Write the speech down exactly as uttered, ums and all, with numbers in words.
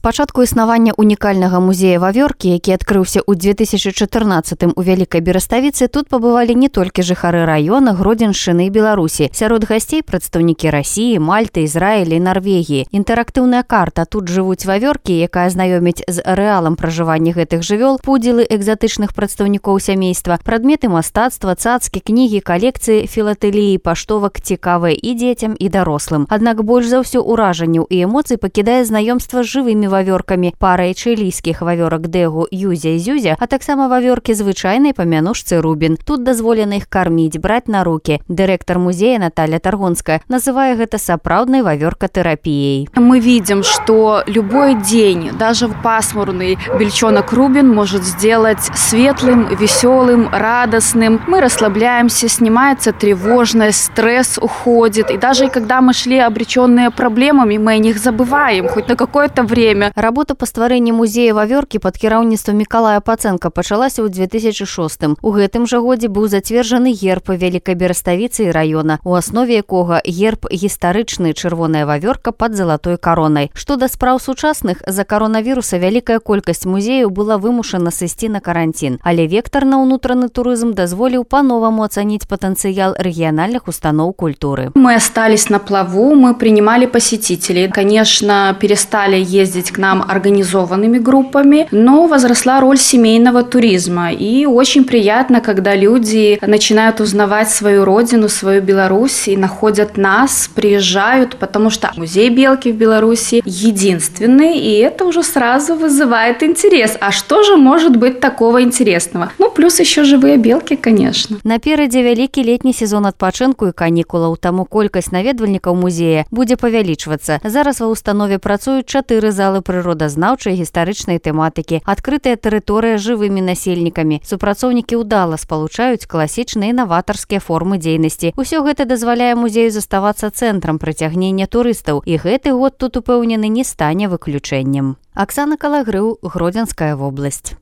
пачатку існавання унікальнага музея вавёркі, які адкрыўся ў две тысячы чатырнаццатым у Вялікай Бераставіцы, тут пабывалі не толькі жыхары раёна, Гродзеншчыны і Беларусі. Сярод гасцей прадстаўнікі Расіі, Мальты, Ізраіля і Нарвегіі. Інтэрактыўная карта «Тут жывуць вавёркі», якая знаёміць з рэалам пражывання гэтых жывёл, пудзілы экзатычных прадстаўнікоў сямейства, прадметы мастацтва, цацкі, кнігі, калекцыі, філатэліі, паштовак цікавыя і дзецям, і дарослым. Аднак больш за ўсё ўражанняў і эмоцый пакідае знаёмства з жывымі вавёркамі, парай чылійскіх вавёрак Дэгу, Юзя і Зюзя, а таксама вавёркі звычайнай па мянушцы Рубін. Тут дазволена іх карміць, браць на рукі. Дырэктар музея Наталья Таргонская называе гэта сапраўднай вавёркатэрапіяй. Мы видим, что любой день, даже пасмурный, бельчонок Рубин может сделать светлым, веселым, радостным. Мы расслабляемся, снимается тревожность, стресс уходит. И даже когда мы шли обреченные проблемами, мы о них забываем хоть на какое-то время. Работа па стварэнні музея вавёркі пад кіраўніцтвам Мікалая Пацэнка пачалася ў две тысячы шостым. У гэтым жа годзе быў зацверджаны герб Вялікай Бераставіцы і раёна, у аснове якога герб гістарычны чырвоная вавёрка пад залатой каронай. Што да спраў сучасных, з-за каронавіруса вялікая колькасць музеяў была вымушана сысці на каранцін, але вектар на ўнутраны турызм дазволіў па-новаму ацаніць патэнцыял рэгіянальных устаноў культуры. Мы остались на плаву, мы принимали посетителей. Конечно, перестали ездить к нам организованными группами, но возросла роль семейного туризма. И очень приятно, когда люди начинают узнавать свою родину, свою Беларусь и находят нас, приезжают, потому что музей белки в Беларуси единственный, и это уже сразу вызывает интерес. А что же может быть такого интересного? Ну, плюс еще живые белки, конечно. Наперадзе вялікі летні сезон адпачынку і канікулаў, таму колькасць наведвальнікаў музея будзе павялічвацца. Зараз ва ўстанове працуюць чатыры залы прыродазнаўчай і гістарычнай тэматыкі, адкрытая тэрыторыя жывымі насельнікамі. Супрацоўнікі ўдала спалучаюць класічныя і наватарскія формы дзейнасці. Усё гэта дазваляе музею заставацца цэнтрам прыцягнення турыстаў, і гэты год тут упэўнены не стане выключэннем. Аксана Калагрыў, Гродзенская вобласць.